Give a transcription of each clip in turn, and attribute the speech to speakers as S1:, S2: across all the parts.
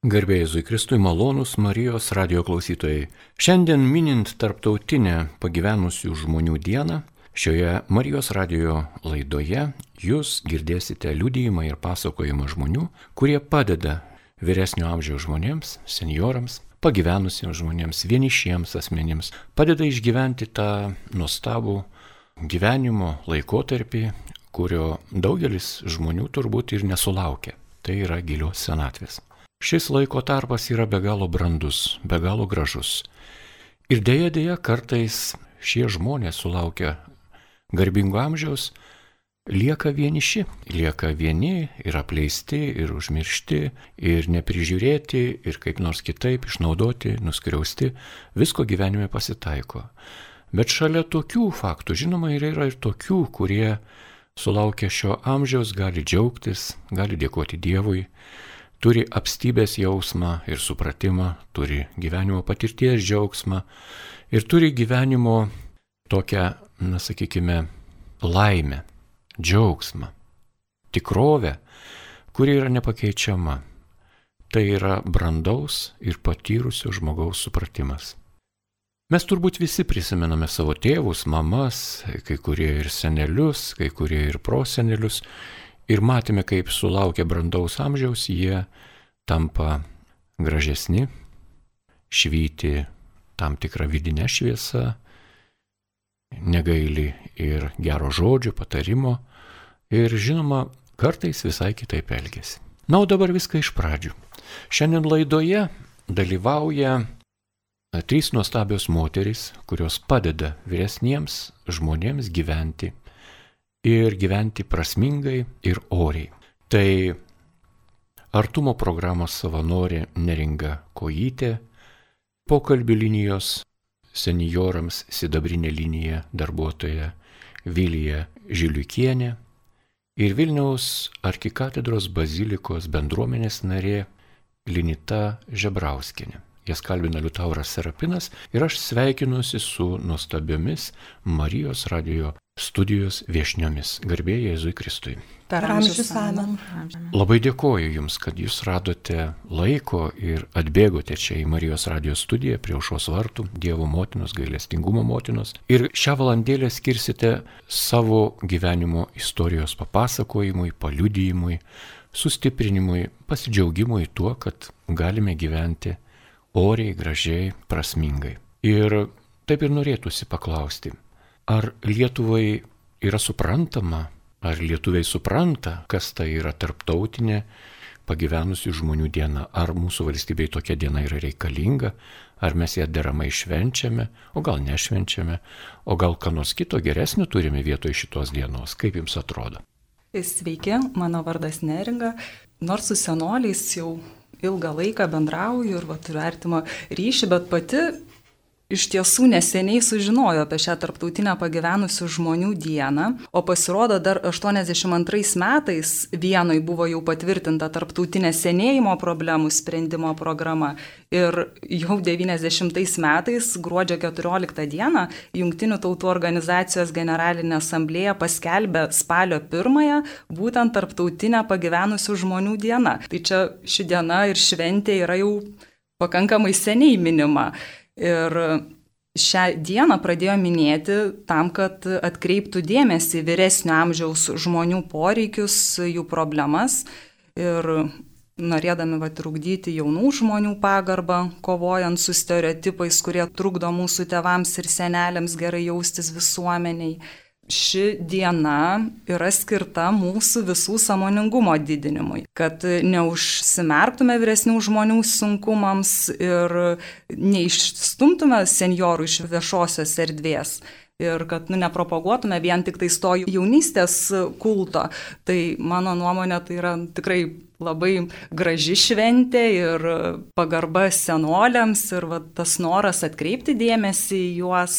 S1: Garbė Jėzui Kristui, malonūs Marijos radijo klausytojai. Šiandien minint tarptautinę pagyvenusių žmonių dieną, šioje Marijos radijo laidoje jūs girdėsite liudijimą ir pasakojimą žmonių, kurie padeda vyresnio amžiaus žmonėms, seniorams, pagyvenusiems žmonėms, vienišiems asmenims, padeda išgyventi tą nuostabų gyvenimo laikotarpį, kurio daugelis žmonių turbūt ir nesulaukia. Tai yra gilios senatvės. Šis laiko tarpas yra be galo brandus, be galo gražus. Ir dėja kartais šie žmonės sulaukia garbingo amžiaus, lieka vieniši, lieka vieni ir apleisti, ir užmiršti, ir neprižiūrėti, ir kaip nors kitaip išnaudoti, nuskriausti, visko gyvenime pasitaiko. Bet šalia tokių faktų, žinoma, yra ir tokių, kurie sulaukia šio amžiaus, gali džiaugtis, gali dėkoti Dievui, turi apstybės jausmą ir supratimą, turi gyvenimo patirties džiaugsmą ir turi gyvenimo tokią, laimę, džiaugsmą, tikrovę, kuri yra nepakeičiama. Tai yra brandaus ir patyrusio žmogaus supratimas. Mes turbūt visi prisimename savo tėvus, mamas, kai kurie ir senelius, kai kurie ir prosenelius, ir matėme, kaip sulaukę brandaus amžiaus jie tampa gražesni, švyti tam tikrą vidinę šviesą, negaili ir gero žodžio, patarimo ir, žinoma, kartais visai kitaip elgiasi. Na, o dabar viską iš pradžių. Šiandien laidoje dalyvauja 3 nuostabios moterys, kurios padeda vyresniems žmonėms gyventi ir gyventi prasmingai ir oriai. Tai artumo programos savanorė Neringa Kojytė, pokalbių linijos seniorams sidabrinė linija darbuotoja Vilija Žiliukienė ir Vilniaus arkikatedros bazilikos bendruomenės narė Linita Žebrauskienė. Jas kalbina Liutauras Serapinas ir aš sveikinuosi su nuostabiomis Marijos radijo studijos viešniomis. Garbė Jėzui Kristui.
S2: Per amžius amen.
S1: Labai dėkoju Jums, kad Jūs radote laiko ir atbėgote čia į Marijos radijo studiją prie Aušros vartų, Dievo motinos, gailestingumo motinos. Ir šią valandėlę skirsite savo gyvenimo istorijos papasakojimui, paliudijimui, sustiprinimui, pasidžiaugimui tuo, kad galime gyventi oriai, gražiai, prasmingai. Ir taip ir norėtųsi paklausti, ar Lietuvai yra suprantama, ar lietuviai supranta, kas tai yra tarptautinė pagyvenusių žmonių diena, ar mūsų valstybei tokia diena yra reikalinga, ar mes ją deramai švenčiame, o gal nešvenčiame, o gal ką nors kito geresnio turime vietoj šitos dienos. Kaip Jums atrodo?
S2: Sveiki, mano vardas Neringa. Nors su senoliais jau ilgą laiką bendrauju ir turiu artimą ryšį, bet pati iš tiesų neseniai sužinojo apie šią tarptautinę pagyvenusių žmonių dieną, o pasirodo dar 82 metais Vienoj buvo jau patvirtinta tarptautinė senėjimo problemų sprendimo programa ir jau 90 metais gruodžio 14 dieną Jungtinių tautų organizacijos generalinė asamblėja paskelbė spalio 1 būtent tarptautinę pagyvenusių žmonių dieną. Tai čia ši diena ir šventė yra jau pakankamai seniai minima. Ir šią dieną pradėjo minėti tam, kad atkreiptų dėmesį vyresnio amžiaus žmonių poreikius, jų problemas ir norėdami trukdyti jaunų žmonių pagarbą, kovojant su stereotipais, kurie trukdo mūsų tėvams ir seneliams gerai jaustis visuomeniai. Ši diena yra skirta mūsų visų sąmoningumo didinimui, kad neužsimerktume vyresnių žmonių sunkumams ir neišstumtume senjorų iš viešosios erdvės. Ir kad nepropaguotume vien tik tai to jaunystės kulto. Tai mano nuomonė tai yra tikrai labai graži šventė ir pagarba senoliams ir tas noras atkreipti dėmesį į juos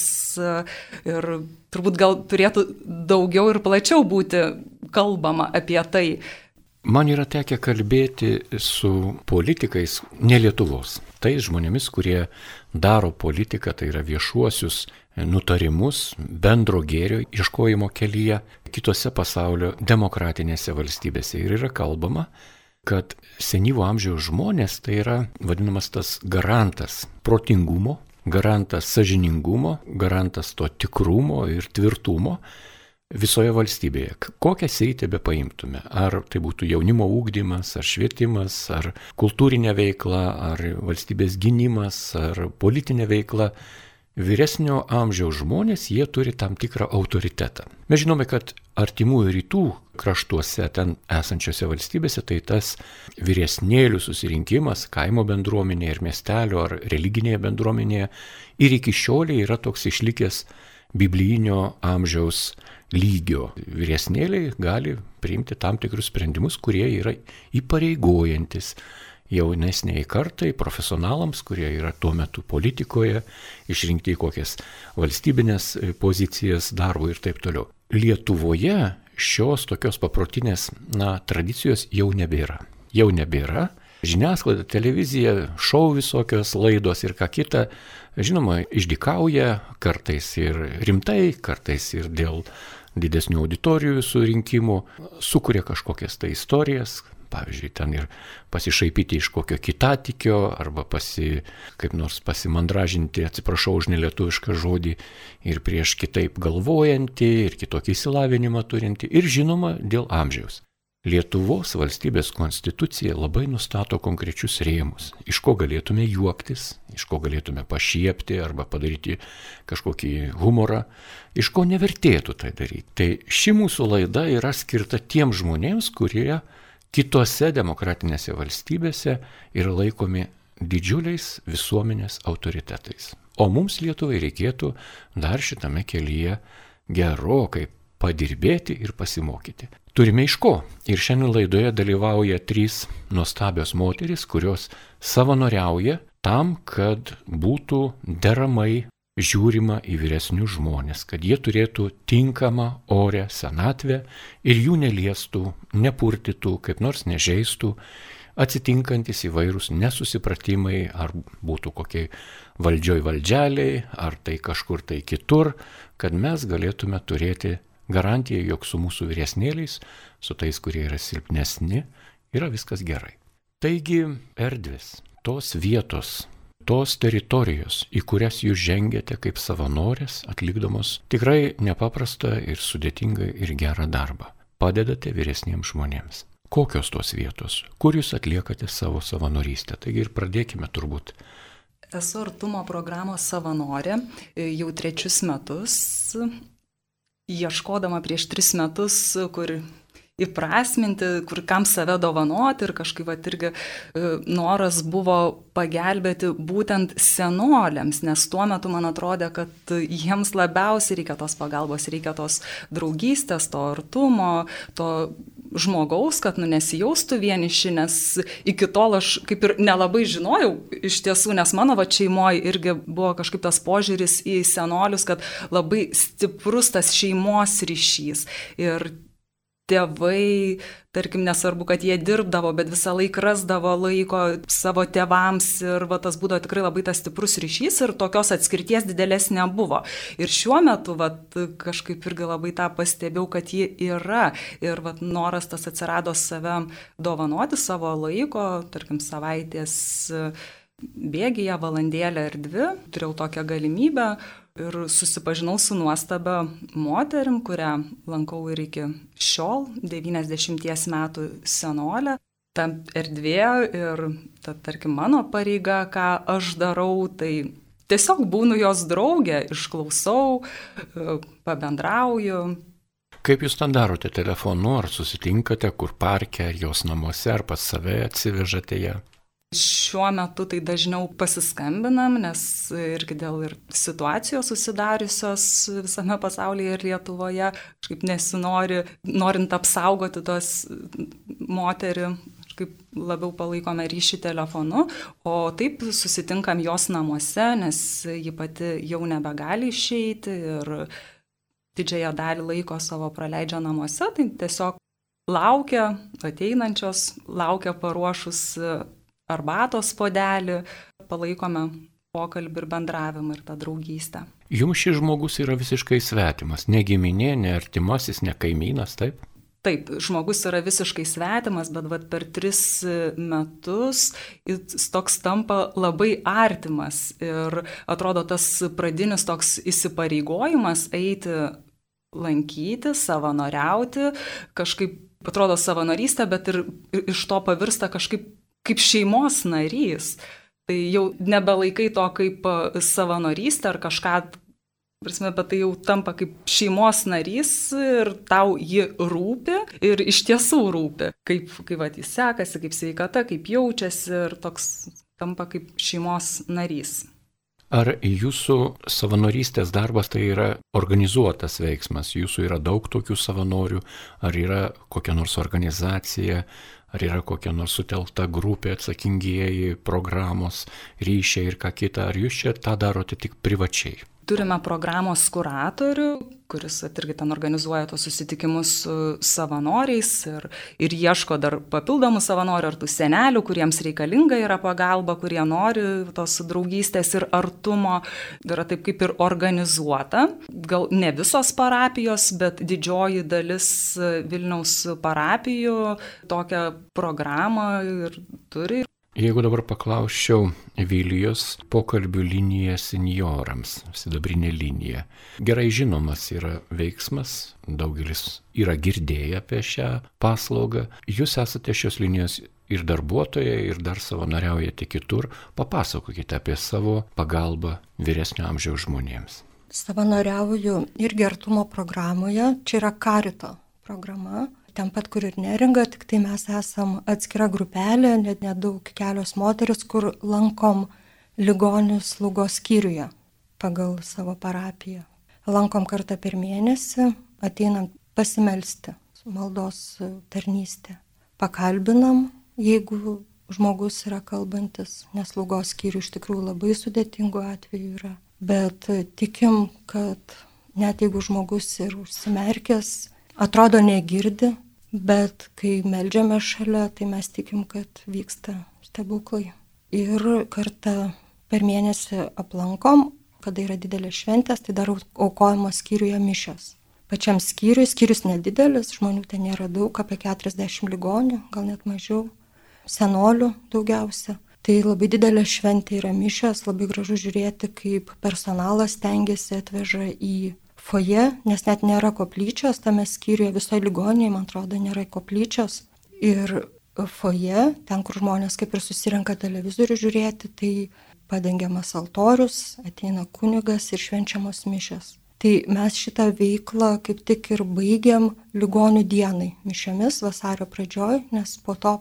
S2: ir turbūt gal turėtų daugiau ir plačiau būti kalbama apie tai.
S1: Man yra tekę kalbėti su politikais ne Lietuvos. Tai žmonėmis, kurie daro politiką, tai yra viešuosius nutarimus bendro gėrio ieškojimo kelyje kitose pasaulio demokratinėse valstybėse. Ir yra kalbama kad senyvo amžiaus žmonės tai yra vadinamas tas garantas protingumo, garantas sąžiningumo, garantas to tikrumo ir tvirtumo visoje valstybėje. Kokią sritį be paimtume, ar tai būtų jaunimo ugdymas, ar švietimas, ar kultūrinė veikla, ar valstybės gynimas, ar politinė veikla, vyresnio amžiaus žmonės, jie turi tam tikrą autoritetą. Mes žinome, kad artimųjų rytų kraštuose, ten esančiose valstybėse, tai tas vyresnėlių susirinkimas kaimo bendruomenėje ir miestelio ar religinėje bendruomenėje ir iki šioliai yra toks išlikęs biblijinio amžiaus lygio. Vyresnėliai gali priimti tam tikrus sprendimus, kurie yra įpareigojantis jaunesniai kartai, profesionalams, kurie yra tuo metu politikoje, išrinkti į kokias valstybinės pozicijas darbų ir taip toliau. Lietuvoje šios tokios paprotinės tradicijos jau nebėra. Žiniasklaida, televizija, šou visokios laidos ir ką kita, žinoma, išdykauja kartais ir rimtai, kartais ir dėl didesnių auditorijų surinkimų, sukuria kažkokias tai istorijas, pavyzdžiui, ten ir pasišaipyti iš kokio kitatikio, arba kaip nors pasimandražinti, atsiprašau už nelietuvišką žodį, ir prieš kitaip galvojantį, ir kitokį išsilavinimą turinti, ir žinoma, dėl amžiaus. Lietuvos valstybės konstitucija labai nustato konkrečius rėmus, iš ko galėtume juoktis, iš ko galėtume pašiepti arba padaryti kažkokį humorą, iš ko nevertėtų tai daryti. Tai ši mūsų laida yra skirta tiems žmonėms, kurie kitose demokratinėse valstybėse yra laikomi didžiuliais visuomenės autoritetais. O mums Lietuvai reikėtų dar šitame kelyje gerokai padirbėti ir pasimokyti. Turime iš ko. Ir šiandien laidoje dalyvauja 3 nuostabios moterys, kurios savanoriauja tam, kad būtų deramai žiūrima į vyresnius žmonės, kad jie turėtų tinkamą orę senatvę ir jų neliestų, nepurtytų, kaip nors nežeistų, atsitinkantis įvairūs nesusipratimai, ar būtų kokiai valdžialiai, ar tai kažkur tai kitur, kad mes galėtume turėti garantiją, jog su mūsų vyresnėliais, su tais, kurie yra silpnesni, yra viskas gerai. Taigi erdvės, tos vietos, tos teritorijos, į kurias jūs žengiate kaip savanorės, atlikdamos tikrai nepaprastą ir sudėtingą ir gerą darbą. Padedate vyresniems žmonėms. Kokios tos vietos, kur jūs atliekate savo savanorystę? Taigi ir pradėkime turbūt.
S2: Esu Artumo programos savanorė jau 3 metus. Ieškodama prieš 3 metus, kur įprasminti, kur kam save dovanoti ir kažkaip irgi noras buvo pagelbėti būtent senoliams, nes tuo metu man atrodė, kad jiems labiausiai reikia tos pagalbos, reikia tos draugystės, to artumo, to žmogaus, kad nesijaustų vieniši, nes iki tol aš kaip ir nelabai žinojau iš tiesų, nes mano šeimoje irgi buvo kažkaip tas požiūris į senolius, kad labai stiprus tas šeimos ryšys ir tėvai, tarkim, nesvarbu, kad jie dirbdavo, bet visą laiką rasdavo laiko savo tėvams ir tas būdavo tikrai labai tas stiprus ryšys ir tokios atskirties didelės nebuvo. Ir šiuo metu kažkaip irgi labai tą pastebėjau, kad ji yra ir noras tas atsirado save dovanoti savo laiko, tarkim, savaitės bėgyje, valandėlę ir 2, turėjau tokią galimybę. Ir susipažinau su nuostabia moterim, kurią lankau ir iki šiol, 90 metų senolė. Ta erdvė ir, tarkim, mano pareiga, ką aš darau, tai tiesiog būnu jos draugė, išklausau, pabendrauju.
S1: Kaip jūs ten darote telefonu, ar susitinkate, kur parke, ar jos namuose, ar pas save atsivežate ją?
S2: Šiuo metu tai dažniau pasiskambinam, nes irgi dėl ir situacijos susidariusios visame pasaulyje ir Lietuvoje, kažkaip nesinori, norint apsaugoti tos moterį, kažkaip labiau palaikome ryšį telefonu, o taip susitinkam jos namuose, nes ji pati jau nebegali išeiti ir didžiąją dalį laiko savo praleidžia namuose, tai tiesiog laukia ateinančios, laukia paruošus arbatos puodelį, palaikome pokalbį ir bendravimą ir tą draugystę.
S1: Jums šis žmogus yra visiškai svetimas, ne giminė, ne artimasis, ne kaimynas, taip?
S2: taip, žmogus yra visiškai svetimas, bet vat, per 3 metus jis toks tampa labai artimas ir atrodo tas pradinis toks įsipareigojimas eiti, lankyti, savanoriauti, kažkaip atrodo savanorystė, bet ir iš to pavirsta kažkaip kaip šeimos narys. Tai jau nebelaikai to kaip savanorystė ar kažką, prasme, bet tai jau tampa kaip šeimos narys ir tau ji rūpi ir iš tiesų rūpi. Kaip vat, jis sekasi, kaip sveikata, kaip jaučiasi ir toks tampa kaip šeimos narys.
S1: Ar jūsų savanorystės darbas tai yra organizuotas veiksmas? Jūsų yra daug tokių savanorių, ar yra kokia nors organizacija, ar yra kokia nors sutelkta grupė, atsakingieji, programos, ryšiai ir ką kita, ar jūs čia tą darote tik privačiai?
S2: Turime programos kuratorių, kuris irgi ten organizuoja tos susitikimus su savanoriais ir ieško dar papildomų savanorių ar tų senelių, kuriems reikalinga yra pagalba, kurie nori tos draugystės ir artumo. Yra taip kaip ir organizuota. Gal ne visos parapijos, bet didžioji dalis Vilniaus parapijų tokią programą ir turi.
S1: Jeigu dabar paklausčiau Vilijos pokalbių linija seniorams, sidabrinė linija. Gerai žinomas yra veiksmas, daugelis yra girdėję apie šią paslaugą. Jūs esate šios linijos ir darbuotojai, ir dar savanoriaujate kitur. Papasakokite apie savo pagalbą vyresnio amžiaus žmonėms.
S3: Savanoriauju irgi artumo programoje, čia yra Karito programa. Ten pat, kur ir Neringa, tik tai mes esam atskira grupelė, net nedaug, kelios moteris, kur lankom ligonius slaugos skyriuje pagal savo parapiją. Lankom kartą per mėnesį, ateinam pasimelsti, maldos tarnystė. Pakalbinam, jeigu žmogus yra kalbantis, nes slaugos skyrių iš tikrųjų labai sudėtingų atvejų yra. Bet tikim, kad net jeigu žmogus ir užsimerkęs, atrodo negirdi, bet kai meldžiame šalia, tai mes tikim, kad vyksta stebuklai. Ir kartą per mėnesį aplankom, kada yra didelės šventės, tai dar aukojamos skyriuje mišios. Pačiam skyrius nedidelis, žmonių ten nėra daug, apie 40 ligonių, gal net mažiau, senolių daugiausia. Tai labai didelė šventė yra mišios, labai gražu žiūrėti, kaip personalas stengiasi atveža į foje, nes net nėra koplyčios, tame skyriuje visoje ligoninėje, man atrodo, nėra koplyčios. Ir foje, ten, kur žmonės kaip ir susirenka televizorių žiūrėti, tai padengiamas altorius, ateina kunigas ir švenčiamos mišios. Tai mes šitą veiklą kaip tik ir baigiam ligonių dienai mišiomis vasario pradžioj, nes po to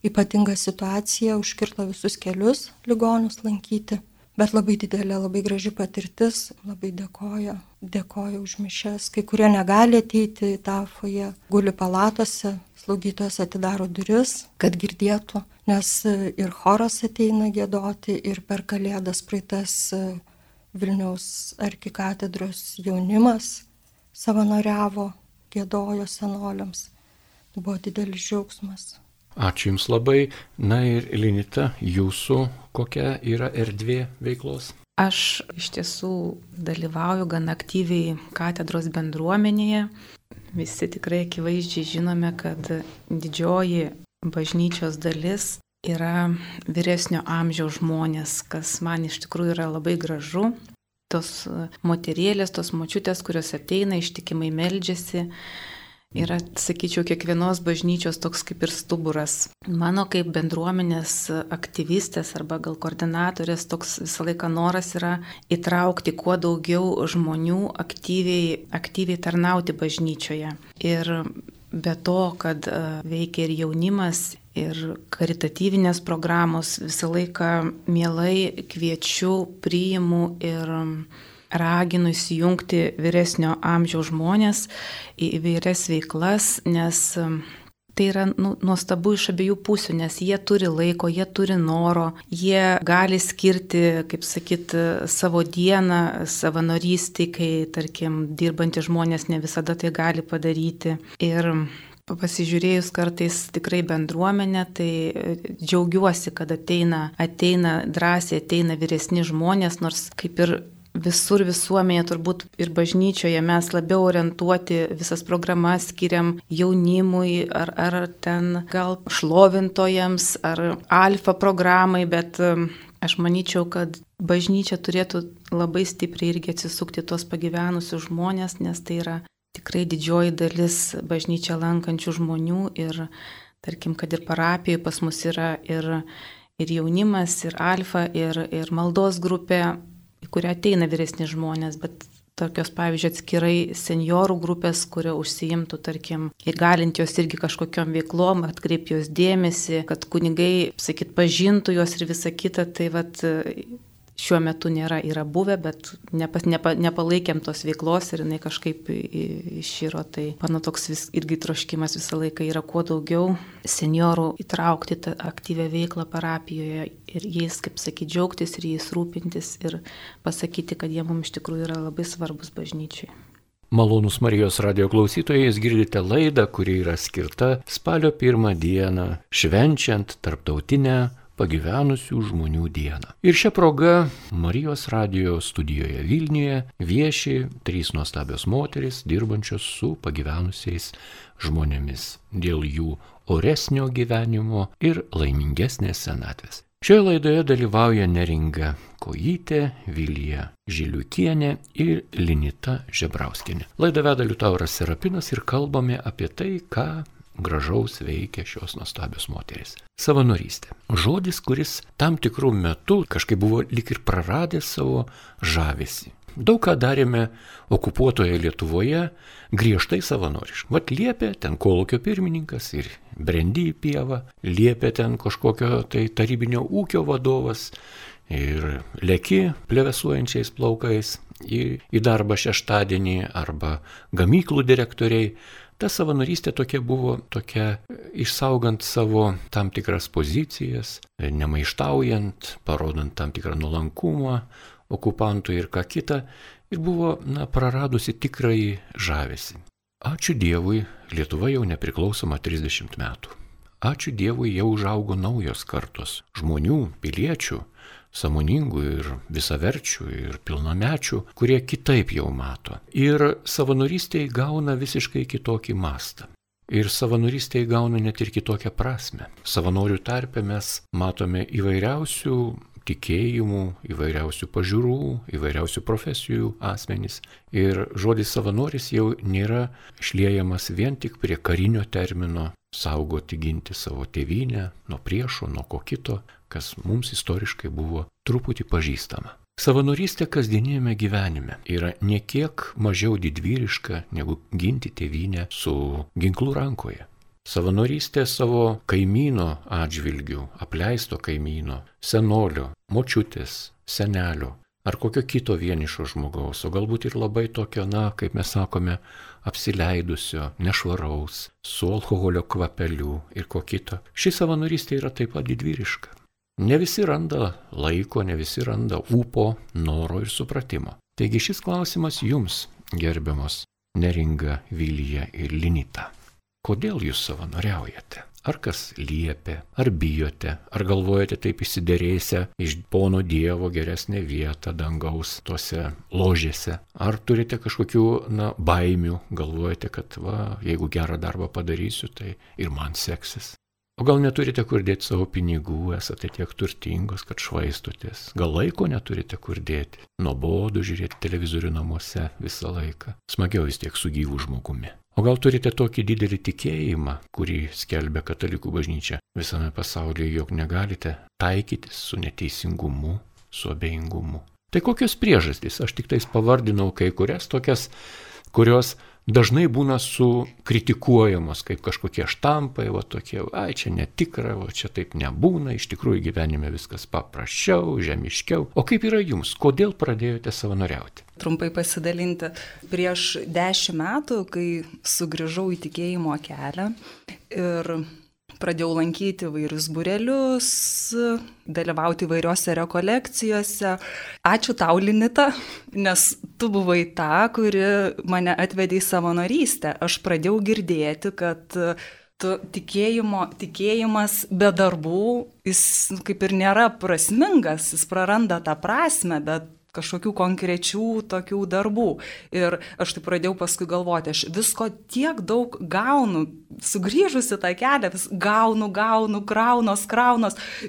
S3: ypatinga situacija užkirto visus kelius ligonius lankyti. Bet labai didelė, labai graži patirtis, labai dėkoju už mišias. Kai kurie negali ateiti į tą foje, guli palatose, slaugytojas atidaro duris, kad girdėtų, nes ir choras ateina giedoti, ir per Kalėdas praeitas Vilniaus arkikatedros jaunimas savanoriavo, giedojo senoliams. Tai buvo didelis džiaugsmas.
S1: Ačiū Jums labai. Na ir Linita, jūsų kokia yra erdvė veiklos?
S4: Aš iš tiesų dalyvauju gan aktyviai katedros bendruomenėje. Visi tikrai akivaizdžiai žinome, kad didžioji bažnyčios dalis yra vyresnio amžiaus žmonės, kas man iš tikrųjų yra labai gražu. Tos moterėlės, tos močiutės, kurios ateina, ištikimai meldžiasi, yra, sakyčiau, kiekvienos bažnyčios toks kaip ir stuburas. Mano kaip bendruomenės aktyvistės arba gal koordinatorės toks visą laiką noras yra įtraukti kuo daugiau žmonių aktyviai tarnauti bažnyčioje. Ir be to, kad veikia ir jaunimas, ir karitatyvinės programos, visą laiką mielai kviečiu, priimu ir raginu įsijungti vyresnio amžiaus žmonės į įvairias veiklas, nes tai yra nuostabu iš abiejų pusių, nes jie turi laiko, jie turi noro, jie gali skirti, kaip sakyt, savo dieną savanorystei, kai, tarkim, dirbantys žmonės ne visada tai gali padaryti. Ir pasižiūrėjus kartais tikrai bendruomenę, tai džiaugiuosi, kad ateina drąsiai, ateina vyresni žmonės, nors kaip ir visur visuomenėje, turbūt ir bažnyčioje mes labiau orientuoti visas programas skiriam jaunimui ar ten gal šlovintojams ar alfa programai, bet aš manyčiau, kad bažnyčia turėtų labai stipriai irgi atsisukti tos pagyvenusius žmonės, nes tai yra tikrai didžioji dalis bažnyčią lankančių žmonių ir tarkim, kad ir parapijoje pas mus yra ir jaunimas, ir alfa, ir maldos grupė, į kurią ateina vyresni žmonės, bet tokios, pavyzdžiui, atskirai seniorų grupės, kurio užsiimtų, tarkim, ir galint jos irgi kažkokiom veiklom, atkreipti jos dėmesį, kad kunigai, pažintų jos ir visa kita, tai šiuo metu yra buvę, bet nepalaikėm tos veiklos ir jinai kažkaip iširo. Tai mano toks irgi troškimas visą laiką yra kuo daugiau seniorų įtraukti tą aktyvią veiklą parapijoje ir jais, kaip sakyti, džiaugtis ir jais rūpintis ir pasakyti, kad jie mums iš tikrųjų yra labai svarbus bažnyčiai.
S1: Malonūs Marijos radijo klausytojai, jūs girdite laidą, kuri yra skirta spalio 1 dieną, švenčiant tarptautinę pagyvenusių žmonių dieną. Ir šią progą Marijos radijo studijoje Vilniuje vieši 3 nuostabios moterys, dirbančios su pagyvenusiais žmonėmis dėl jų oresnio gyvenimo ir laimingesnės senatvės. Šioje laidoje dalyvauja Neringa Kojytė, Vilija Žiliukienė ir Linita Žebrauskienė. Laidą veda Liutauras Serapinas ir kalbame apie tai, ką gražaus veikia šios nuostabios moterys. Savanorystė. Žodis, kuris tam tikrų metų kažkaip buvo lyg ir praradęs savo žavesį. Daug ką darėme okupuotoje Lietuvoje griežtai savanoriškai. Vat liepė ten kolūkio pirmininkas ir brendi į pievą, liepė ten kažkokio tai tarybinio ūkio vadovas ir leki plevesuojančiais plaukais į darbą šeštadienį arba gamyklų direktoriai. Ta savanorystė tokia buvo, išsaugant savo tam tikras pozicijas, nemaištaujant, parodant tam tikrą nuolankumą okupantui ir ką kita, ir buvo praradusi tikrąjį žavesį. Ačiū Dievui, Lietuva jau nepriklausoma 30 metų. Ačiū Dievui, jau užaugo naujos kartos žmonių, piliečių, sąmoningų ir visaverčių ir pilnamečių, kurie kitaip jau mato. Ir savanorystė įgauna visiškai kitokį mastą. Ir savanorystė įgauna net ir kitokią prasme. Savanorių tarpe mes matome įvairiausių tikėjimų, įvairiausių pažiūrų, įvairiausių profesijų asmenys. Ir žodis savanoris jau nėra šliejamas vien tik prie karinio termino saugoti, ginti savo tėvynę nuo priešo, nuo ko kito, kas mums istoriškai buvo truputį pažįstama. Savanorystė kasdienėme gyvenime yra niekiek mažiau didvyriška negu ginti tėvynę su ginklu rankoje. Savanorystė savo kaimyno atžvilgių, apleisto kaimyno, senolio, močiutės, senelio ar kokio kito vienišo žmogaus, o galbūt ir labai tokio, kaip mes sakome, apsileidusio, nešvaraus, su alkoholio kvapeliu ir ko kito. Ši savanorystė yra taip pat didvyriška. Ne visi randa laiko, ne visi randa ūpo, noro ir supratimo. Taigi šis klausimas jums, gerbiamos Neringa, Vilija ir Linita. Kodėl jūs savanoriaujate? Ar kas liepia, ar bijote, ar galvojate taip įsiderėsę iš pono Dievo geresnę vietą dangaus tose ložėse? Ar turite kažkokių, baimių, galvojate, kad jeigu gerą darbą padarysiu, tai ir man seksis? O gal neturite kur dėti savo pinigų, esate tiek turtingos, kad švaistotės? Gal laiko neturite kur dėti? Nuobodu žiūrėti televizorių namuose visą laiką. Smagiau vis tiek su gyvu žmogumi. O gal turite tokį didelį tikėjimą, kurį skelbia katalikų bažnyčia visame pasaulyje, jog negalite taikytis su neteisingumu, su abejingumu? Tai kokios priežastys? Aš tik tais pavardinau kai kurias tokias, kurios dažnai būna sukritikuojamos kaip kažkokie štampai, tokie, čia netikra, čia taip nebūna, iš tikrųjų gyvenime viskas paprasčiau, žemiškiau. O kaip yra jums? Kodėl pradėjote savanoriauti?
S2: Trumpai pasidalinti. Prieš 10 metų, kai sugrįžau į tikėjimo kelią ir pradėjau lankyti vairius būrelius, dalyvauti įvairiose rekolekcijose. Ačiū tau, Linita, nes tu buvai ta, kuri mane atvedė į savanorystę. Aš pradėjau girdėti, kad tikėjimas be darbų, jis kaip ir nėra prasmingas, jis praranda tą prasme, bet kažkokių konkrečių tokių darbų. Ir aš taip pradėjau paskui galvoti, aš visko tiek daug gaunu, sugrįžusi tą kelią, vis gaunu, kraunos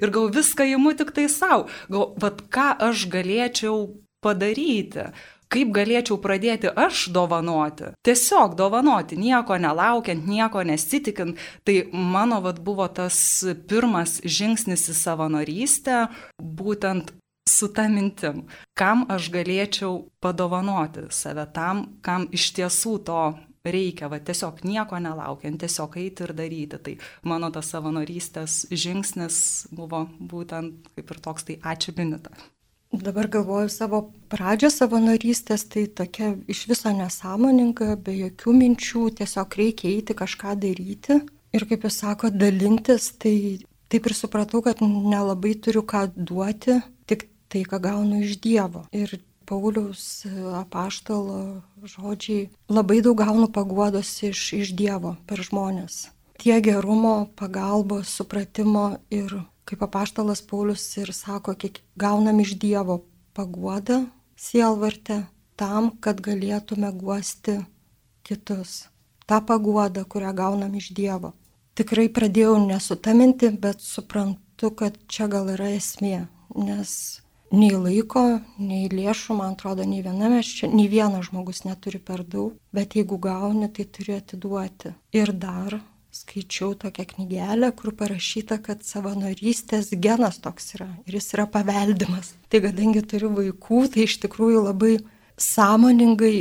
S2: ir gal viską imu tik tai savo. Gal, vat ką aš galėčiau padaryti? Kaip galėčiau pradėti aš dovanoti? Tiesiog dovanoti, nieko nelaukiant, nieko nesitikint. Tai mano buvo tas pirmas žingsnis į savanorystę, būtent su ta mintim, kam aš galėčiau padovanoti save tam, kam iš tiesų to reikia, tiesiog nieko nelaukiant, tiesiog eiti ir daryti. Tai mano tas savanorystės žingsnis buvo būtent kaip ir toks, tai ačiū Linita.
S3: Dabar galvoju savo pradžią savanorystės, tai tokia iš viso nesąmoninga, be jokių minčių, tiesiog reikia eiti kažką daryti. Ir kaip jūs sako, dalintis, tai taip ir supratau, kad nelabai turiu ką duoti, tik tai, ką gaunu iš Dievo. Ir Pauliaus apaštalo žodžiai, labai daug gaunu paguodos iš Dievo per žmonės. Tie gerumo, pagalbos, supratimo ir kaip apaštalas Paulius ir sako, kiek gaunam iš Dievo paguodą sielvarte tam, kad galėtume guosti kitus. Ta paguoda, kurią gaunam iš Dievo. Tikrai pradėjau nesutaminti, bet suprantu, kad čia gal yra esmė, nes nei laiko, nei lėšų, man atrodo, nei vienas žmogus neturi per daug, bet jeigu gauni, tai turi atiduoti. Ir dar skaičiau tokią knygelę, kur parašyta, kad savanorystės genas toks yra ir jis yra paveldimas. Tai kadangi turiu vaikų, tai iš tikrųjų labai sąmoningai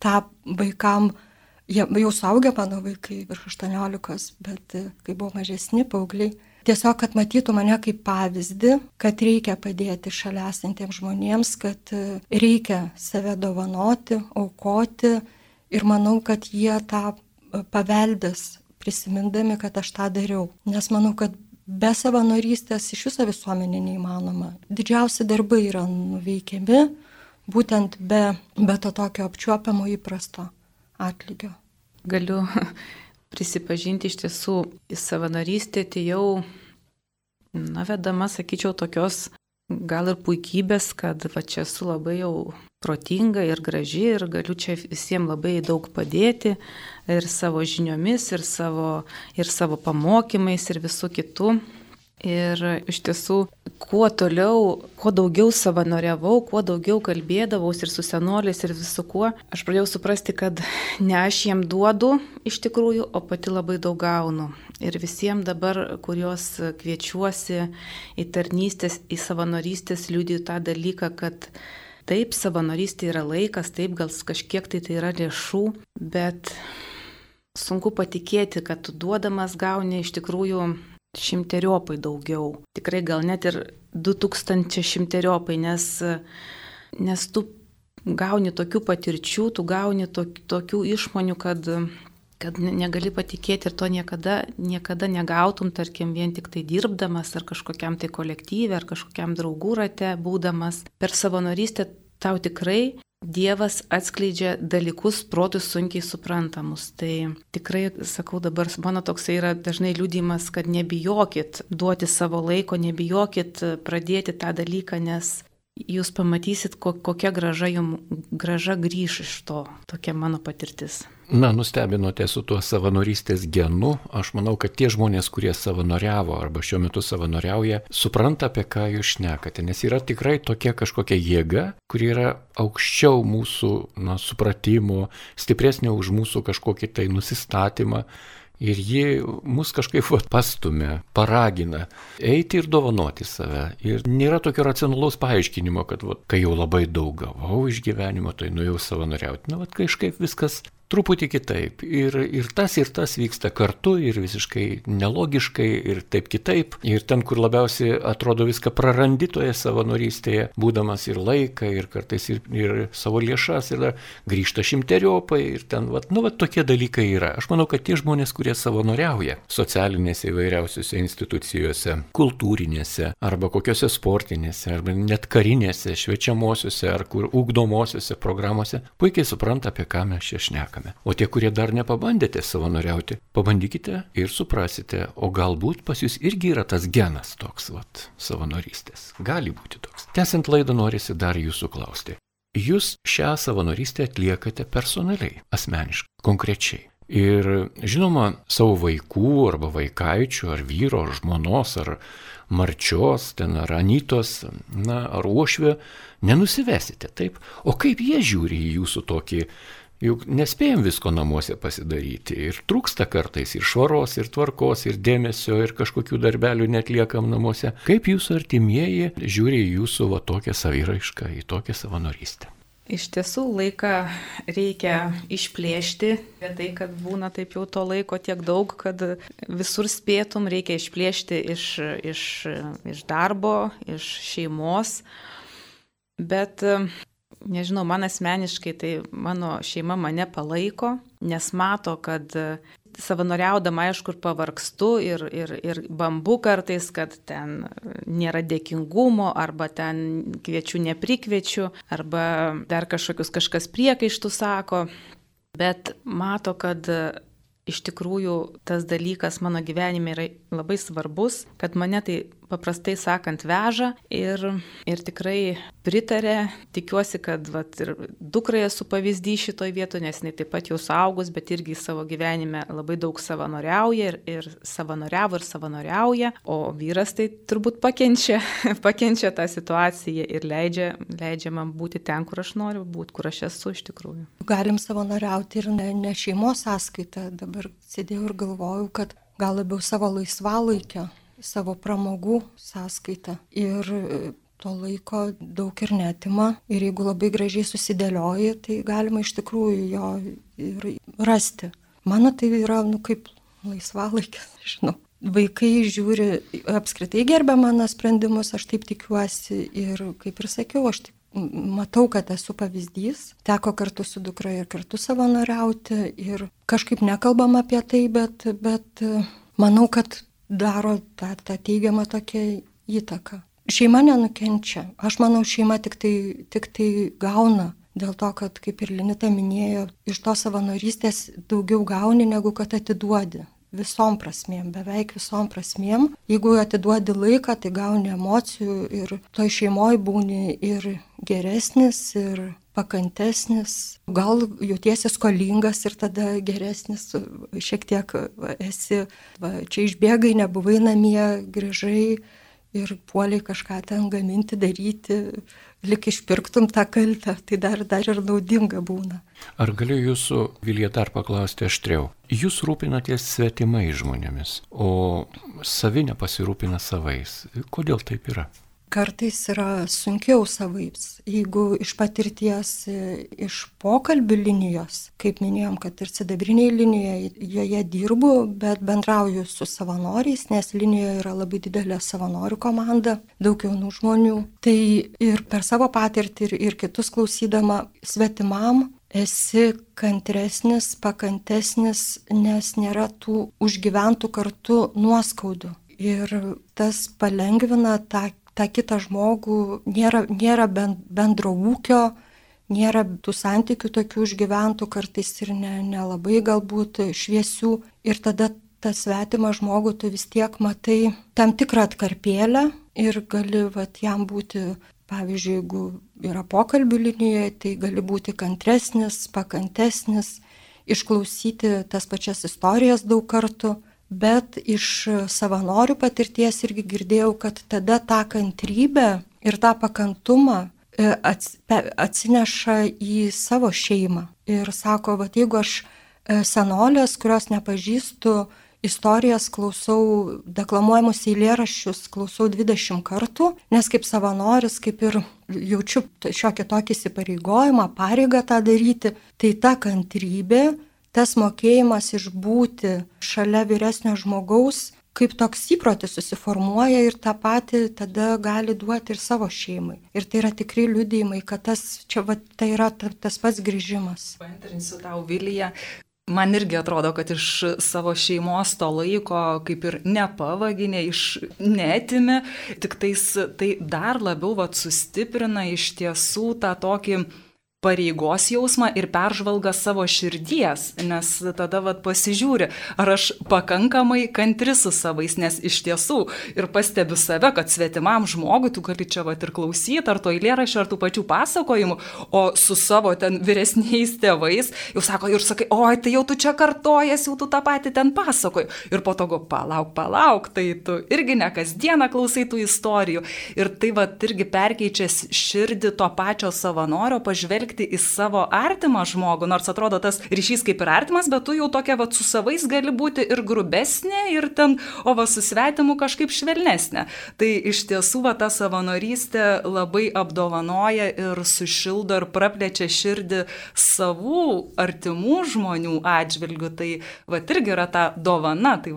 S3: tą vaikam, jie jau suaugę mano vaikai virš 18, bet kai buvo mažesni paaugliai, tiesiog, kad matytų mane kaip pavyzdį, kad reikia padėti šalia esantiems žmonėms, kad reikia save dovanoti, aukoti ir manau, kad jie tą paveldės prisimindami, kad aš tą dariau. Nes manau, kad be savanorystės iš viso visuomenė neįmanoma. Didžiausi darbai yra nuveikiami būtent be to tokio apčiuopiamo įprasto atlygio.
S4: Galiu prisipažinti, iš tiesų į savanorystę atėjau, vedama, sakyčiau, tokios gal ir puikybės, kad čia esu labai jau protinga ir graži ir galiu čia visiems labai daug padėti ir savo žiniomis, ir savo pamokymais, ir visų kitų. Ir iš tiesų, kuo toliau, kuo daugiau savanoriavau, kuo daugiau kalbėdavaus ir su senoliais ir visu kuo, aš pradėjau suprasti, kad ne aš jiem duodu iš tikrųjų, o pati labai daug gaunu. Ir visiems dabar, kuriuos kviečiuosi į tarnystės, į savanorystės, liudiju tą dalyką, kad taip, savanorystė yra laikas, taip, gal kažkiek tai yra lėšų, bet sunku patikėti, kad tu duodamas gauni iš tikrųjų 100-eriopai daugiau. Tikrai gal net ir 2000-eriopai, nes tu gauni tokių patirčių, tu gauni tokių išmonių, kad negali patikėti ir to niekada negautum, tarkim, vien tik tai dirbdamas ar kažkokiam tai kolektyve, ar kažkokiam draugų rate būdamas. Per savanorystę tau tikrai Dievas atskleidžia dalykus protų sunkiai suprantamus. Tai tikrai, sakau, dabar mano toksai yra dažnai liudijimas, kad nebijokit duoti savo laiko, nebijokit pradėti tą dalyką, nes jūs pamatysit, kokia graža grįš iš to. Tokia mano patirtis.
S1: Nustebinote su tuo savanorystės genu. Aš manau, kad tie žmonės, kurie savanoriavo arba šiuo metu savanoriauja, supranta, apie ką jūs šnekate. Nes yra tikrai tokia kažkokia jėga, kuri yra aukščiau mūsų supratimo, stipresnė už mūsų kažkokį tai nusistatymą. Ir ji mus kažkaip pastumia, paragina eiti ir dovanoti save. Ir nėra tokio racionalaus paaiškinimo, kad kai jau labai daug gavau iš gyvenimo, tai nuėjau savanoriauti. Kažkaip viskas truputį kitaip. Ir tas vyksta kartu ir visiškai nelogiškai ir taip kitaip. Ir ten, kur labiausiai atrodo viską prarandi toje savanorystėje, būdamas ir laiką, ir kartais ir savo lėšas, ir dar grįžta 100-eriopai. Ir ten, tokie dalykai yra. Aš manau, kad tie žmonės, kurie savanoriauja socialinėse įvairiausiose institucijose, kultūrinėse, arba kokiose sportinėse, arba net karinėse, šviečiamosiose, ar kur ugdomosiose programuose, puikiai supranta, apie ką mes čia šnekame. šnekame. O tie, kurie dar nepabandėte savanoriauti, pabandykite ir suprasite, o galbūt pas jūs irgi yra tas genas toks, savanorystės. Gali būti toks. Tęsiant laidą norisi dar jūsų klausti. Jūs šią savanorystę atliekate personaliai, asmeniškai, konkrečiai. Ir žinoma, savo vaikų arba vaikaičių, ar vyro, ar žmonos, ar marčios, ar anytos, ar uošvio nenusivesite, taip? O kaip jie žiūri į jūsų tokį, juk nespėjom visko namuose pasidaryti ir trūksta kartais ir švaros, ir tvarkos, ir dėmesio, ir kažkokių darbelių netliekam namuose. Kaip jūsų artimieji žiūri į jūsų tokią saviraišką, į tokią savanorystę?
S4: Iš tiesų laiką reikia išplėšti, tai kad būna taip jau to laiko tiek daug, kad visur spėtum, reikia išplėšti iš darbo, iš šeimos, bet nežinau, man asmeniškai tai mano šeima mane palaiko, nes mato, kad savanoriaudama, aišku, ir pavargstu ir bambu kartais, kad ten nėra dėkingumo, arba ten kviečiu neprikviečiu, arba dar kažkas priekaištų sako, bet mato, kad iš tikrųjų tas dalykas mano gyvenime yra labai svarbus, kad mane tai paprastai sakant veža ir tikrai pritarė. Tikiuosi, kad ir dukrai esu pavyzdys šitoj vietoje, nes jinai taip pat jau suaugus, bet irgi savo gyvenime labai daug savanoriauja ir savanoriavo ir savanoriauja, o vyras tai turbūt pakenčia tą situaciją ir leidžia man būti ten, kur aš noriu būti, kur aš esu iš tikrųjų.
S3: Galim savanoriauti ir ne šeimos sąskaita. Dabar sėdėjau ir galvojau, kad gal labiau savo laisvalaikio, savo pramogų sąskaita. Ir to laiko daug ir netima. Ir jeigu labai gražiai susidėlioji, tai galima iš tikrųjų jo ir rasti. Mano tai yra, kaip laisvalaikis, žinau. Vaikai žiūri, apskritai gerbia mano sprendimus, aš taip tikiuosi. Ir kaip ir sakiau, aš matau, kad esu pavyzdys. Teko kartu su dukra ir kartu savanoriauti. Ir kažkaip nekalbam apie tai, bet manau, kad daro tą teigiamą tokią įtaką. Šeima nenukenčia. Aš manau, šeima tik tai gauna. Dėl to, kad, kaip ir Linita minėjo, iš to savanorystės daugiau gauni, negu kad atiduodi. Visom prasmėm, beveik visom prasmėm. Jeigu atiduodi laiką, tai gauni emocijų ir toj šeimoje būni ir geresnis, ir pakantesnis. Gal jautiesi skolingas ir tada geresnis, šiek tiek esi, čia išbėgai, nebuvai namie, grįžai ir puoliai kažką ten gaminti, daryti, lik išpirktum tą kaltę, tai dar ir naudinga būna.
S1: Ar galiu jūsų, Vilija, dar paklausti aštriau? Jūs rūpinatės svetimai žmonėmis, o savi nepasirūpina savais. Kodėl taip yra?
S3: Kartais yra sunkiau savaips. Jeigu iš patirties, iš pokalbių linijos, kaip minėjom, kad ir sidabriniai linijoje, joje dirbu, bet bendrauju su savanoriais, nes linijoje yra labai didelė savanorių komanda, daug jaunų žmonių. Tai ir per savo patirtį ir kitus klausydama, svetimam esi kantresnis, pakantesnis, nes nėra tų užgyventų kartu nuoskaudų. Ir tas palengvina tą kitą žmogų, nėra bendro ūkio, nėra tų santykių tokių užgyventų, kartais ir nelabai galbūt šviesių. Ir tada tą svetimą žmogų tu vis tiek matai tam tikrą atkarpėlę ir gali jam būti, pavyzdžiui, jeigu yra pokalbių linijoje, tai gali būti kantresnis, pakantesnis, išklausyti tas pačias istorijas daug kartų. Bet iš savanorių patirties irgi girdėjau, kad tada tą kantrybę ir tą pakantumą atsineša į savo šeimą. Ir sako, jeigu aš senolės, kurios nepažįstu, istorijas klausau, deklamuojamus eilėraščius klausau 20 kartų, nes kaip savanoris, kaip ir jaučiu šiokį tokį įsipareigojimą, pareigą tą daryti, tai ta kantrybė, tas mokėjimas išbūti šalia vyresnio žmogaus, kaip toks įprotis susiformuoja ir tą patį tada gali duoti ir savo šeimai. Ir tai yra tikrai liudijimai, kad tai yra tas pats grįžimas.
S2: Paantrinsiu tau, Vilija. Man irgi atrodo, kad iš savo šeimos to laiko kaip ir nepavaginė, neatimi, tik tai dar labiau sustiprina iš tiesų tą tokį pareigos jausmą ir peržvalgą savo širdies, nes tada pasižiūri, ar aš pakankamai kantri su savais, nes iš tiesų ir pastebiu save, kad svetimam žmogui tu gali čia ir klausyti, ar to eilėraščio, ar tų pačių pasakojimų, o su savo ten vyresniais tėvais jau sako, ir sakai, oi, tai jau tu čia kartojas, jau tu tą patį ten pasakoji. Ir po to palauk, tai tu irgi ne kasdieną klausai tų istorijų. Ir tai irgi perkeičia širdį to pačio savanorio pažvelgti į savo artimą žmogų, nors atrodo tas ryšys kaip ir artimas, bet tu jau tokia su savais gali būti ir grubesnė, ir ten, su svetimu kažkaip švelnesnė. Tai iš tiesų ta savanorystė labai apdovanoja ir sušildo ir praplečia širdį savų artimų žmonių atžvilgių. Tai irgi yra ta dovana, tai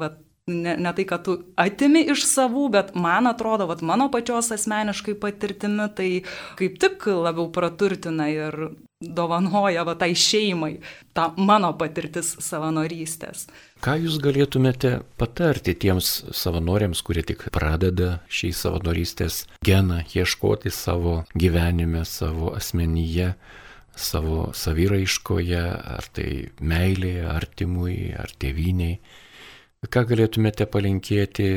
S2: ne tai, kad tu atimi iš savų, bet man atrodo, mano pačios asmeniškai patirtimi, tai kaip tik labiau praturtina ir dovanoja tai šeimai, ta mano patirtis savanorystės.
S1: Ką jūs galėtumėte patarti tiems savanoriams, kurie tik pradeda šį savanorystės geną ieškoti savo gyvenime, savo asmenyje, savo saviraiškoje, ar tai meilėje, artimui, ar tėvynei? Ką galėtumėte palinkėti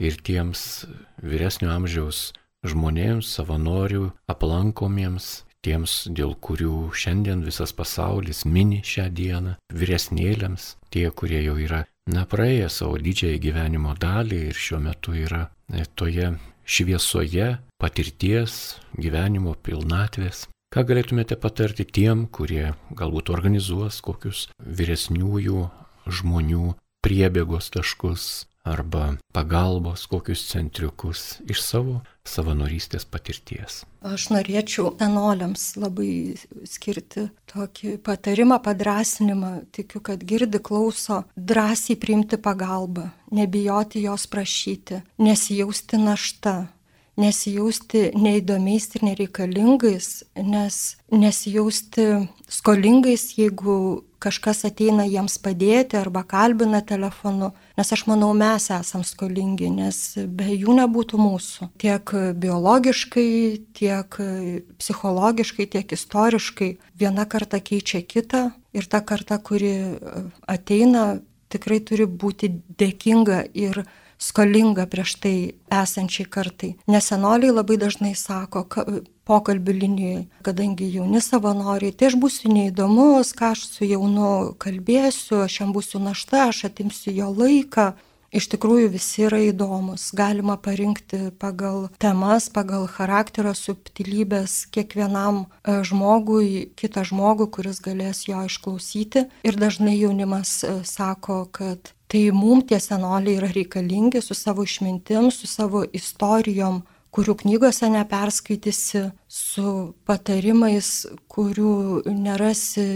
S1: ir tiems vyresnio amžiaus žmonėms, savanorių aplankomiems, tiems, dėl kurių šiandien visas pasaulis mini šią dieną, vyresnėliams, tie, kurie jau yra praėję savo didžiąją gyvenimo dalį ir šiuo metu yra toje šviesoje patirties, gyvenimo pilnatvės. Ką galėtumėte patarti tiem, kurie galbūt organizuos kokius vyresniųjų žmonių priebėgos taškus arba pagalbos kokius centriukus iš savo savanorystės patirties?
S3: Aš norėčiau senoliams labai skirti tokį patarimą, padrasinimą. Tikiu, kad girdi, klauso, drąsiai priimti pagalbą, nebijoti jos prašyti, nesijausti našta, nesijausti neįdomiais ir nereikalingais, nesijausti skolingais, jeigu kažkas ateina jiems padėti arba kalbina telefonu, nes aš manau, mes esam skolingi, nes be jų nebūtų mūsų. Tiek biologiškai, tiek psichologiškai, tiek istoriškai. Viena karta keičia kitą ir ta karta, kuri ateina, tikrai turi būti dėkinga ir skolinga prieš tai esančiai kartai. Nes senoliai labai dažnai sako pokalbių linijoje, kadangi jauni savanoriai, tai aš būsiu neįdomus, ką aš su jaunu kalbėsiu, aš jam būsiu našta, aš atimsiu jo laiką. Iš tikrųjų visi yra įdomus. Galima parinkti pagal temas, pagal charakterio subtilybės kiekvienam žmogui, kitą žmogų, kuris galės jo išklausyti. Ir dažnai jaunimas sako, kad tai mums tie senoliai yra reikalingi su savo išmintim, su savo istorijom, kurių knygose neperskaitysi, su patarimais, kurių nerasi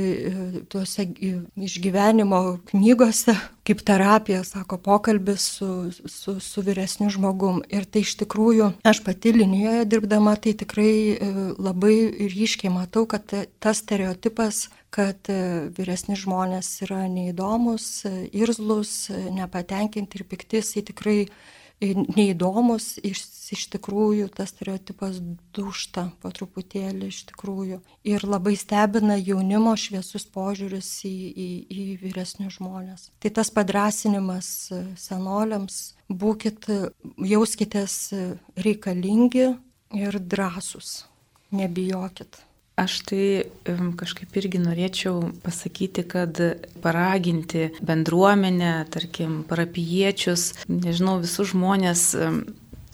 S3: tuose išgyvenimo knygose, kaip terapija, sako, pokalbis su vyresniu žmogum. Ir tai iš tikrųjų, aš pati linijoje dirbdama, tai tikrai labai ryškiai matau, kad tas stereotipas, kad vyresni žmonės yra neįdomus, irzlus, nepatenkinti ir pikti, jisai tikrai neįdomus, iš tikrųjų tas stereotipas dūžta po truputėlį iš tikrųjų. Ir labai stebina jaunimo šviesus požiūris į vyresnius žmonės. Tai tas padrasinimas senoliams, jauskitės reikalingi ir drąsūs, nebijokit.
S4: Aš tai kažkaip irgi norėčiau pasakyti, kad paraginti bendruomenę, tarkim, parapijiečius, nežinau, visus žmonės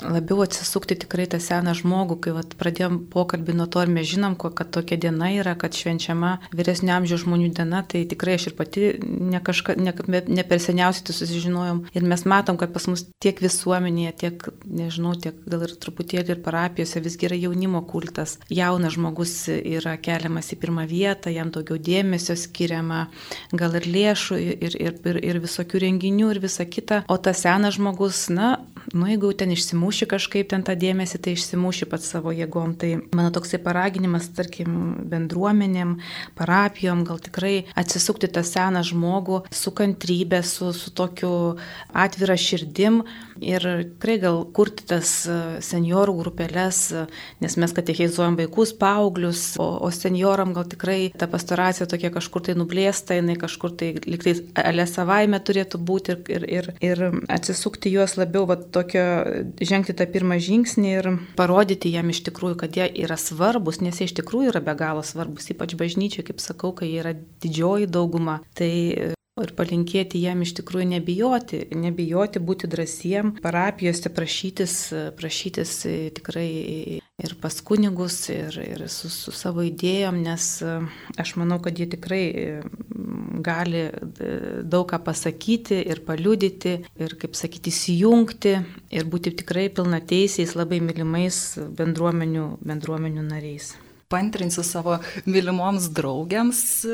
S4: labiau atsisukti tikrai tą seną žmogų, kai pradėjom pokalbį nuo to, ir mes žinom, kad tokia diena yra, kad švenčiama vyresnio amžiaus žmonių diena, tai tikrai aš ir pati ne per seniausiai tai susižinojom. Ir mes matom, kad pas mus tiek visuomenėje, tiek, nežinau, tiek gal ir truputėlį ir parapijose visgi yra jaunimo kultas. Jaunas žmogus yra keliamas į pirmą vietą, jam daugiau dėmesio skiriama, gal ir lėšų, ir visokių renginių ir visa kita. O tas senas žmogus, jeigu ten išsimuši kažkaip ten tą dėmesį, tai išsimuši pats savo jėgom. Tai mano toksai paraginimas, tarkim, bendruomenėm, parapijom, gal tikrai atsisukti tą seną žmogų su kantrybė, su tokiu atvira širdim ir tikrai gal kurti tas seniorų grupelės, nes mes katechizuojam vaikus, paauglius, o senioram gal tikrai ta pastoracija tokia kažkur tai nublėsta, jinai kažkur tai liktai ale savaime turėtų būti ir atsisukti juos labiau, žengti tą pirmą žingsnį ir parodyti jam iš tikrųjų, kad jie yra svarbus, nes jie iš tikrųjų yra be galo svarbus, ypač bažnyčiai, kaip sakau, kai jie yra didžioji dauguma. Tai ir palinkėti jam iš tikrųjų nebijoti būti drąsiem, parapijose prašytis tikrai ir pas kunigus, ir su savo idėjom, nes aš manau, kad jie tikrai gali daug ką pasakyti ir paliudyti, ir, kaip sakyti, įsijungti ir būti tikrai pilnateisiais, labai mylimais bendruomenių nariais.
S2: Pantrinsiu savo mylimoms draugiams,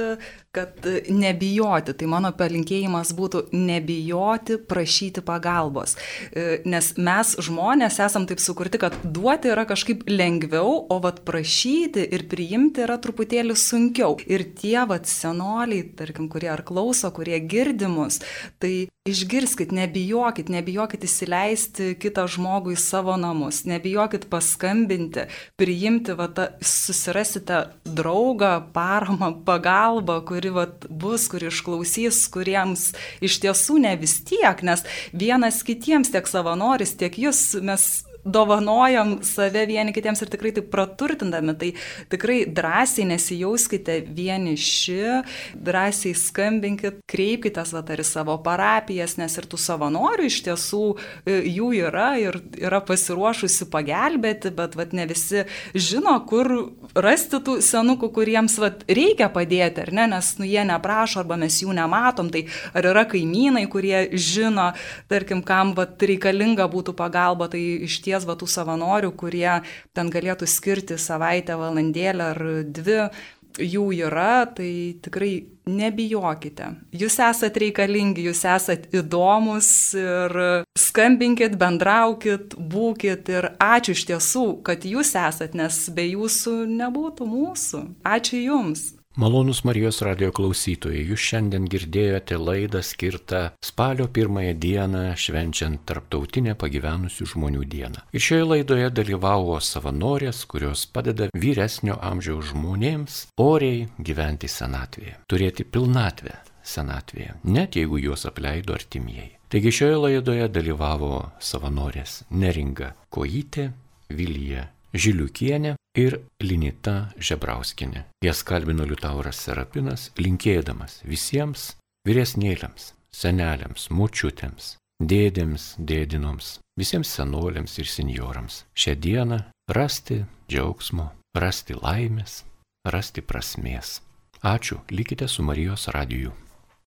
S2: kad nebijoti. Tai mano palinkėjimas būtų nebijoti prašyti pagalbos. Nes mes žmonės esam taip sukurti, kad duoti yra kažkaip lengviau, o prašyti ir priimti yra truputėlį sunkiau. Ir tie senoliai, tarkim, kurie ar klauso, kurie girdi mus, tai išgirskit, nebijokit įsileisti kitą žmogų į savo namus, nebijokit paskambinti, priimti, susirasite draugą, paramą, pagalbą, kuri bus, kuri išklausys, kuriems iš tiesų ne vis tiek, nes vienas kitiems, tiek savanoris, tiek jūs, mes dovanojam save vieni kitiems ir tikrai taip praturtindami, tai tikrai drąsiai nesijauskite vieniši, drąsiai skambinkit, kreipkitės ar į savo parapijas, nes ir tų savanorių iš tiesų jų yra ir yra pasiruošusi pagelbėti, bet ne visi žino, kur rasti tų senukų, kuriems reikia padėti, ar ne, nes jie neprašo arba mes jų nematom, tai ar yra kaimynai, kurie žino, tarkim, kam reikalinga būtų pagalba, tai iš tų savanorių, kurie ten galėtų skirti savaitę, valandėlę ar 2, jų yra, tai tikrai nebijokite. Jūs esat reikalingi, jūs esat įdomus ir skambinkit, bendraukit, būkit ir ačiū iš tiesų, kad jūs esat, nes be jūsų nebūtų mūsų. Ačiū jums.
S1: Malonūs Marijos radijo klausytojai, jūs šiandien girdėjote laidą skirtą spalio 1 dieną švenčiant Tarptautinę pagyvenusių žmonių dieną. Ir šioje laidoje dalyvavo savanorės, kurios padeda vyresnio amžiaus žmonėms oriai gyventi senatvėje, turėti pilnatvę senatvėje, net jeigu juos apleido artimieji. Taigi šioje laidoje dalyvavo savanorės Neringa Kojytė, Vilija Žiliukienė ir Linita Žebrauskienė. Jas kalbino Liutauras Serapinas, linkėdamas visiems vyresnėliams, seneliams, močiutėms, dėdėms, dėdinoms, visiems senoliams ir senjorams šią dieną rasti džiaugsmo, rasti laimės, rasti prasmės. Ačiū, likite su Marijos radiju.